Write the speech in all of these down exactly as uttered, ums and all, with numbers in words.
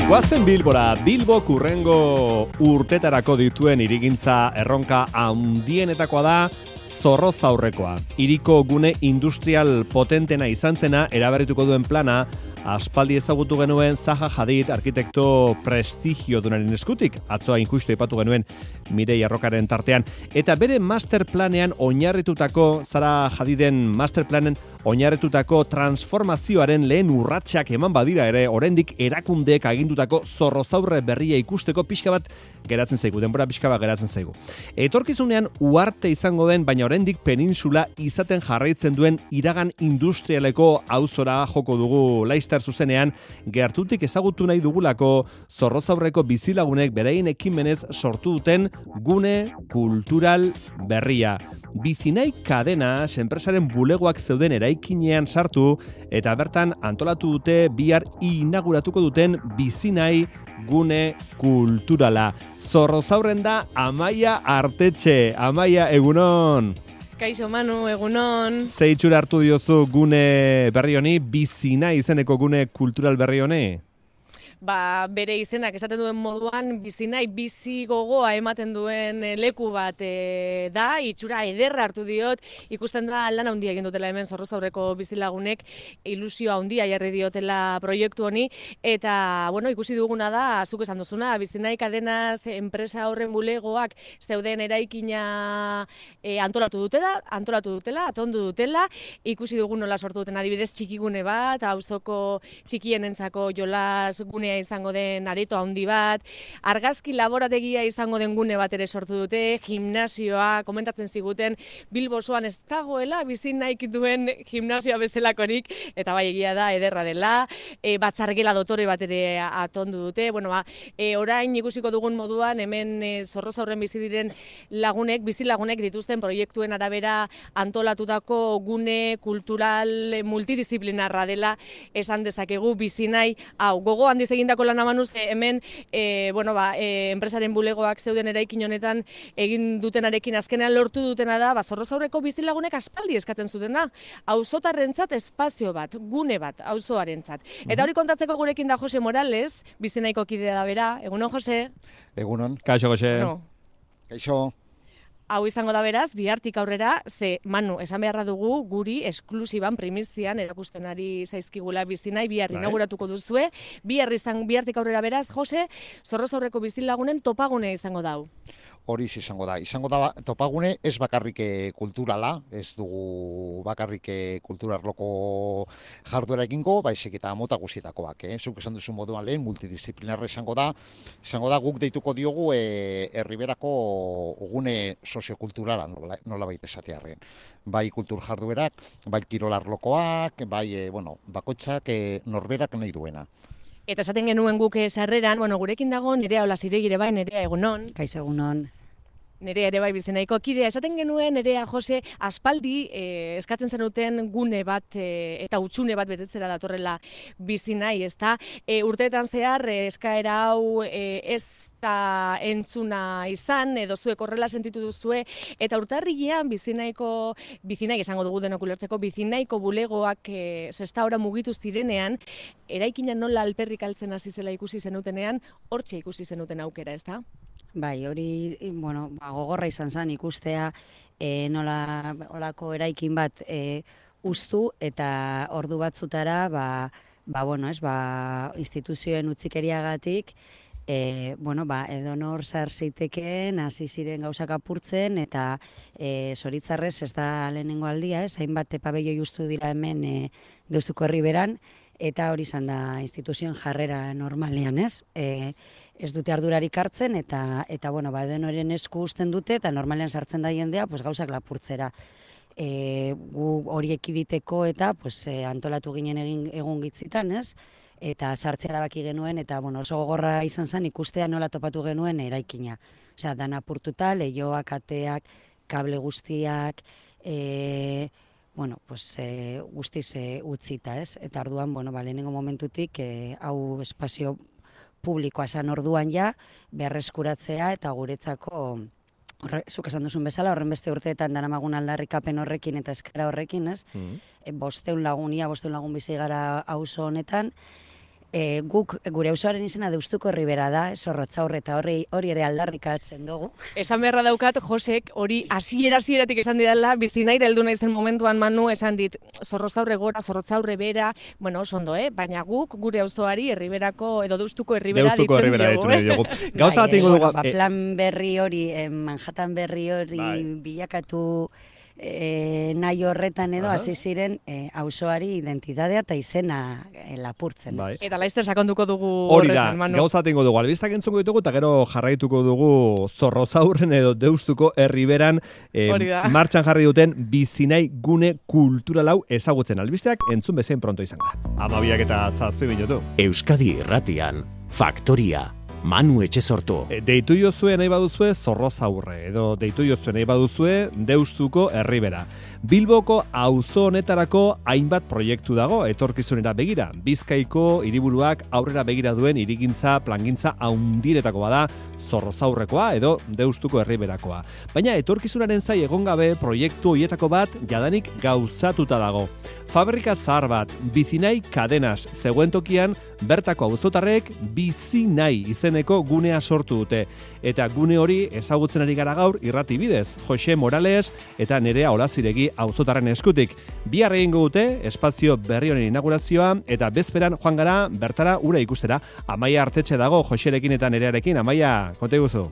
Goazen Bilbora, Bilbo kurrengo urtetarako dituen hirigintza erronka handienetakoa da Zorrozaurrekoa. Hiriko gune industrial potentena izan zena eraberrituko duen plana aspaldi ezagutu genuen Zaha Hadid arkitekto prestigiodunaren eskutik, atzoa injustu ipatu genuen Mirei Arrokaren tartean, eta bere masterplanean oinarritutako, Zaha Hadiden masterplanen oinarritutako transformazioaren lehen urratsak eman badira ere, oraindik erakundeek agindutako Zorrozaurre berria ikusteko pixka bat geratzen zaigu, denbora pixka bat geratzen zaigu. Etorkizunean uarte izango den, baina oraindik peninsula izaten jarraitzen duen iragan industrialeko auzora joko dugu laizter zuzenean, gertutik ezagutu nahi dugulako Zorrozaurreko bizilagunek beraien ekimenez sortu duten gune kultural berria. Bizinai kadena enpresaren bulegoak zeuden eraikinean sartu eta bertan antolatu dute bihar inauguratuko duten Bizinai gune kulturala. Zorrozaurren da Amaia Artetxe. Amaia, egunon! Kaixo Manu, egunon. Ze itxura hartu diozu gune berri honi, Bizinai izeneko gune kultural berri honi? Ba, bere izenak esaten duen moduan, Bizinai bizi gogoa ematen duen leku bat e, da, itxura ederra hartu diot, ikusten da lan handia egin dutela hemen Zorrozaurreko bizilagunek, ilusio handia jarri diotela proiektu honi, eta, bueno, ikusi duguna da, zuk esan duzuna, Bizinai kadenaz enpresa horren bulegoak zeuden eraikina e, antolatu dutela, antolatu dutela, atondu dutela, ikusi dugu nola sortu duten adibidez txikigune bat, auzoko txikienentzako jolas gune izango den areto handi bat, argazki laborategia izango den gune bat ere sortu dute, gimnasioa, komentatzen ziguten, Bilbo osoan ez dagoela Bizinaik duen gimnasioa bestelakorik, eta bai egia da, ederra dela, e, batzargela dotore bat ere atondu dute, bueno, ba, e, orain ikusiko dugun moduan, hemen e, Zorrozaurren bizi diren lagunek, bizilagunek dituzten proiektuen arabera antolatutako gune kultural multidisciplinarra dela esan dezakegu Bizinai, hau, gogo handiz egindako lana manuz, hemen e, bueno, ba, e, enpresaren bulegoak zeuden eraikin honetan egin dutenarekin azkenean lortu dutena da, ba, Zorrozaurreko bizilagunek aspaldi eskatzen zutena, auzotarrentzat espazio bat, gune bat, auzoarentzat. Eta hori kontatzeko gurekin da Jose Morales, Bizinaiko kidea da bera. Egunon, Jose? Egunon. Kaixo, Jose. No. Kaixo. Hau izango da beraz, bihartik aurrera, ze, Manu, esan beharra dugu, guri esklusiban primizian erakusten ari zaizkigula Bizinai, bihar inauguratuko duzue, bihar izan, bihartik aurrera beraz, Jose, Zorrozaurreko bizilagunen topagune izango da. Hori izango da. Izango da topagune ez bakarrik kulturala, ez dugu bakarrik kulturarloko jarduera egingo, baizik eta mota guztietakoak, eh? Zuk esan duzu moduan lehen, multidisciplinarra izango da, izango da guk deituko diogu e, herriberako gune soziokulturala, nola, nola baita esatearren. Bai kultur jarduerak, bai kirolarlokoak, bai, e, bueno, bakoitzak e, norberak nahi duena. Eta esaten genuen guk sarreran, bueno, gurekin dago Nerea Olaziregire bai, Nerea, egunon. Kaixo, egunon. Nerea ere bai Bizinaiko kidea, esaten genuen Nerea Jose aspaldi eh, eskatzen zenuten gune bat eh, eta hutsune bat betetzera datorrela Bizinai, ezta? E, urteetan zehar eh, eskaera hau eh, ez da entzuna izan, edo zuek horrela sentitu duzue, eta urtarrilean Bizinaiko, Bizinai esango dugu denok ulertzeko, Bizinaiko bulegoak eh, sestaora mugitu zirenean, eraikina nola alperrik altzen hasi zela ikusi zenutenean, hortxe ikusi zenuten aukera, ezta? Bai, hori, bueno, ba, gogorra izan zen ikustea e, nola olako eraikin bat e, ustu eta ordu batzutara, ba, ba, bueno, ez, ba, instituzioen utzikeriagatik, e, bueno, ba, edonor zar zitekeen, hasi ziren gauzak apurtzen, eta e, zoritzarrez ez da lehenengo aldia, ez, hainbat pabelloi ustu dira hemen e, Deustuko Herriberan, eta hori izan da instituzioen jarrera normalean, ez? E, ez dute ardurarik hartzen, eta, eta bueno, ba, edenoren esku uzten dute, eta normalean sartzen da jendea, pues, gauzak lapurtzera. E, gu horiek iditeko eta pues, e, antolatu ginen egin egun gitzitan, ez? Eta sartzea erabaki genuen, eta bueno, oso gogorra izan zen ikustea nola topatu genuen eraikina. Osea, dana apurtuta, leihoak, ateak, kable guztiak, e, bueno, pues, e, guztiz e, utzita, ez? Eta orduan, bueno, ba, lehenengo momentutik, e, hau espazio publikoa esan orduan ja, berreskuratzea eta guretzako, horre, zuk esan duzun bezala, horren beste urteetan daramagun aldarrikapen horrekin eta eskara horrekin, ez? Mm. E, bosteun lagun, ia bosteun lagun bizi gara auzo honetan, E, guk gure auzoaren izena Deustuko Ribera da, Zorrotzaur eta hori hori ere aldarrikatzen dugu. Esan beharra daukat, Josek, hori hasiera hasieratik esan didala, bizinaira heldu naizen momentuan Manu esan dit, Zorrotzaurre gora, Zorrotzaurre bera, bueno, oso ondo, eh? Baina guk gure auzoari Herriberako edo Deustuko Herribera Deustuko ditzen Herribera dugu. ditzen dugu. Gauza bat Bai, ingo eh, dugu... bueno, ba, plan berri hori, eh, Manhattan berri hori Bai. bilakatu e, nahi horretan edo Aha. hasi ziren e, auzoari identitatea eta izena e, lapurtzen. Bai. Eta laizter sakonduko dugu Hori da, horretan, Manu. gauza tengo dugu, albistak entzungo ditugu, eta gero jarraituko dugu Zorrozaurren edo Deustuko Herriberan eh, Hori da. martxan jarri duten bizinai gune kulturalau ezagutzen albisteak entzun bezain pronto izango da. Amabiak eta zazpi minutu. Euskadi Irratian, Faktoria, Manu Etxesortu. E, Deitu jozue nahi baduzue Zorrozaurre, edo deitu jozue nahi baduzue Deustuko Herribera. Bilboko auzo honetarako hainbat proiektu dago etorkizunera begira. Bizkaiko hiriburuak aurrera begira duen hirigintza plangintza haundiretako bada Zorrozaurrekoa edo Deustuko Herriberakoa. Baina etorkizunaren zai egon gabe proiektu hoietako bat jadanik gauzatuta dago. Fabrika zahar bat, Bizinai Cadenas, zegoen tokian bertako auzotarrek Bizinai izeneko gunea sortu dute. Eta gune hori ezagutzen ari gara gaur irrati bidez, Jose Morales eta Nerea Olaziregi auzotarren eskutik. Bihar egingo dute espazio berri honen inaugurazioa eta bezperan joan gara bertara ura ikustera. Amaia Artetxe dago Joserekin eta Nerearekin. Amaia, konta iguzu.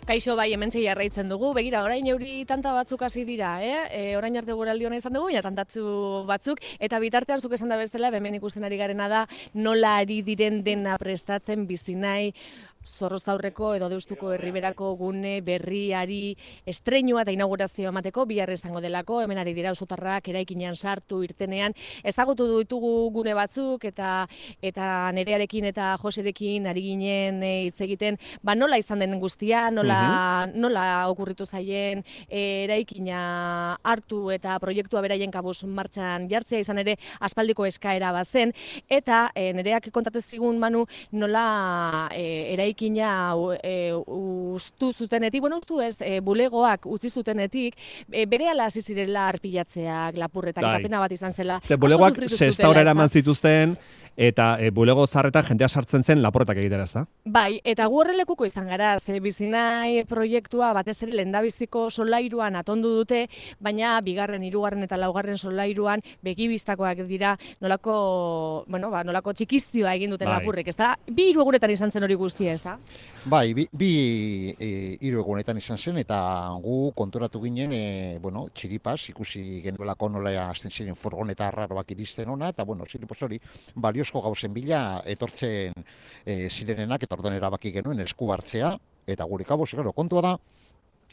Kaixo, bai, hementxe jarraitzen dugu. Begira, orain euri tanta batzuk hasi dira, eh? E, orain arte guraldi hona izan dugu, ja tantatzu batzuk, eta bitartean zuk esan da bestela, hemen ikusten ari garena da, nola ari diren dena prestatzen Bizinai, Zorrozaurreko edo Deustuko Herriberako gune berriari estreinua eta inaugurazioa emateko bihar izango delako, hemen ari dira auzotarrak eraikinean sartu irtenean, ezagutu ditugu gune batzuk eta eta Nerearekin eta Joserekin ari ginen hitz egiten, ba nola izan den guztia, nola nola okurritu zaien e, eraikina hartu eta proiektua beraien kabuz martxan jartzea izan ere aspaldiko eskaera bazen eta e, Nereak kontatez zigun Manu nola e, eraikina e, ustu zutenetik, bueno, ustu ez, e, bulegoak utzi zutenetik, e, berehala hasi zirela arpilatzeak, lapurretak, Bai. eta pena bat izan zela. Ze Asko bulegoak sufritu sestaura zutela, eraman ezta? zituzten, eta e, bulego zarretan jendea sartzen zen laportak egitera, ez da? Bai, eta gu horrelekuko izan gara, ze Bizinai proiektua batez ere lehendabiziko solairuan atondu dute, baina bigarren, hirugarren eta laugarren solairuan begibistakoak dira nolako, bueno, ba, nolako txikizioa egin duten Bai. lapurrek, ezta? Bi hiru egunetan izan zen hori guztia, ezta? Bai, bi, bi e, hiru egunetan izan zen, eta gu konturatu ginen, e, bueno, txiripaz, ikusi genuelako nola hasten ziren furgoneta arraroak iristen ona, eta, bueno, txiripaz hori, baliozko gauzen bila etortzen e, zirenenak, eta orduan erabaki genuen esku hartzea, eta gure kabuz, gero, kontua da,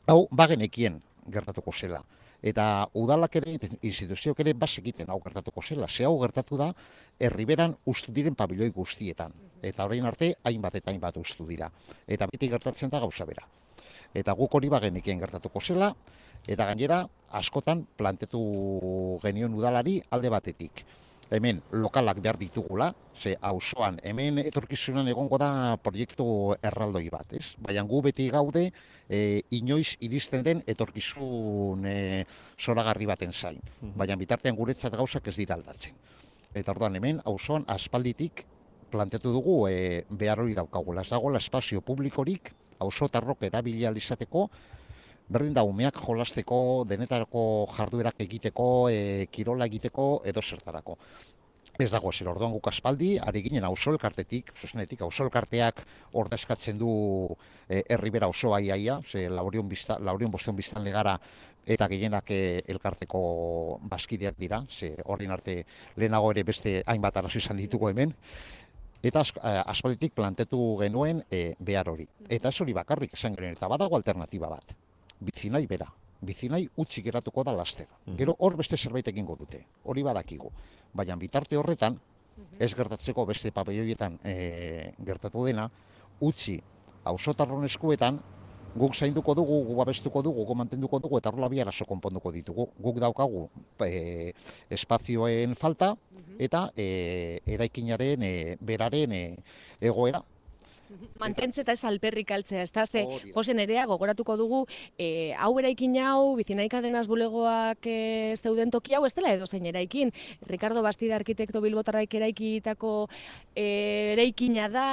hau, bagenekien gertatuko zela. Eta udalak ere, instituzioak ere, bazekiten hau gertatuko zela. Ze hau gertatu da, Herriberan ustu diren pabiloi guztietan. Eta orain arte, hainbat eta hainbat ustu dira. Eta beti gertatzen da gauza bera. Eta guk hori bagenekien gertatuko zela, eta gainera, askotan plantetu genion udalari alde batetik. Hemen lokalak behar ditugula, ze auzoan hemen etorkizunan egongo da proiektu erraldoi bat, ez? Baina gu beti gaude e, inoiz iristen den etorkizun e, zoragarri baten zain. Baina bitartean guretzat gauzak ez dira aldatzen. Eta orduan hemen auzoan aspalditik planteatu dugu e, behar hori daukagula. Ez dagoela espazio publikorik auzotarrok erabili ahal izateko, berdin da umeak jolasteko, denetarako jarduerak egiteko, e, kirola egiteko, edo zertarako. Ez dago zer, orduan guk aspaldi, ari ginen auzo elkartetik, zuzenetik, auzo elkarteak ordezkatzen du e, Herribera osoa iaia, ze laurion, bizta, laurion boston biztan legara eta gehienak e, elkarteko bazkideak dira, ze ordin arte lehenago ere beste hainbat arazo izan ditugu hemen, eta as, aspalditik plantetu genuen e, behar hori. Eta ez hori bakarrik esan genuen, eta badago alternatiba bat. Bizinai bera. Bizinai utzi geratuko da laster. Gero hor beste zerbait egingo dute. Hori badakigu. Baina bitarte horretan, ez gertatzeko beste papeioietan e, gertatu dena, utzi auzotarron eskuetan, guk zainduko dugu, guk babestuko dugu, guk mantenduko dugu, eta horrela bi arazo konponduko ditugu. Guk daukagu e, espazioen falta, eta e, eraikinaren e, beraren e, egoera. Mantentze eta ez alperrik altzea, ez da, ze, Hori da. Jose Nerea, gogoratuko dugu, e, hau eraikin hau, bizinaika denaz bulegoak e, zeuden toki hau, ez dela edozein eraikin. Ricardo Bastida arkitekto bilbotarraik eraikitako e, eraikina da,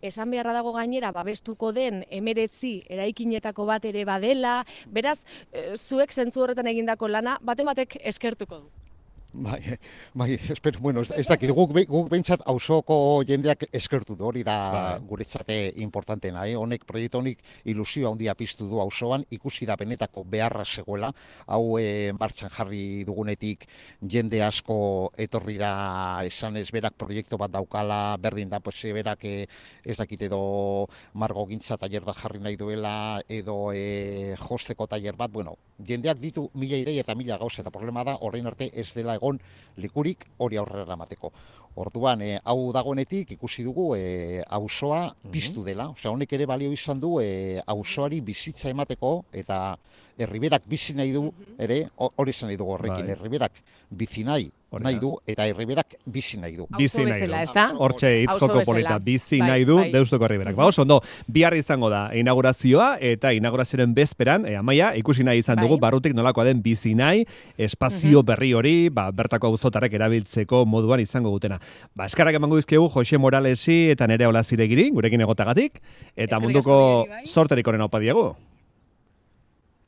esan beharra dago gainera, babestuko den emeretzi eraikinetako bat ere badela, beraz, e, zuek zentzu horretan egindako lana, baten batek eskertuko du. Bai, bai, espero, bueno, ez, ez dakit, guk, be- guk behintzat auzoko jendeak eskertu du, hori da Bai. guretzate importantena, eh? Honek, proiektu honik ilusio handia piztu du auzoan, ikusi da benetako beharra zegoela, hau eh, martxan jarri dugunetik jende asko etorri da esan ez berak proiektu bat daukala, berdin da, pues, eh, berak eh, ez dakit edo margo gintza tailer bat jarri nahi duela, edo eh, josteko tailer bat, bueno, jendeak ditu mila idei eta mila gauza, eta problema da, orain arte ez dela egon likurik hori aurrera eramateko. Orduan, eh, hau dagoenetik ikusi dugu eh, auzoa piztu dela. Osea, honek ere balio izan du eh, auzoari bizitza emateko eta herriberak bizi nahi du ere, ho- hori esan nahi dugu horrekin, Bai. herriberak bizi nahi Hori nahi da. du eta herriberak bizi nahi du. Bizi Auzo nahi bezala, du. ez da? Hortxe hitz Auzo joko bezala. polita, bizi Bai, nahi du bai. Deustuko Herriberak. Ba, oso ondo, bihar izango da inaugurazioa eta inaugurazioaren bezperan, e, Amaia, ikusi nahi izan dugu Bai. barrutik nolakoa den bizi nahi, espazio berri hori, ba, bertako auzotarrek erabiltzeko moduan izango dutena. Ba, eskarrak emango dizkiegu Jose Moralesi eta Nerea Olaziregiri, gurekin egotagatik, eta Eskerrik munduko asko biei, bai. sorterik onen aupa diegu.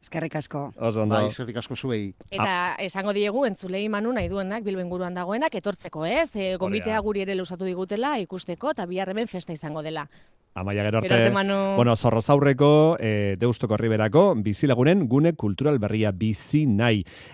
Eskerrik asko. Oso ondo. Bai, eskerrik asko zuei. Eta esango diegu entzulei manu nahi duenak Bilbo inguruan dagoenak etortzeko, ez? E, gonbitea da. guri ere lusatu digutela ikusteko eta bihar hemen festa izango dela. Amaia gero Gero arte, arte, Manu. bueno, Zorrozaurreko, e, Deustuko Herriberako, bizilagunen gune kultural berria bizi nahi.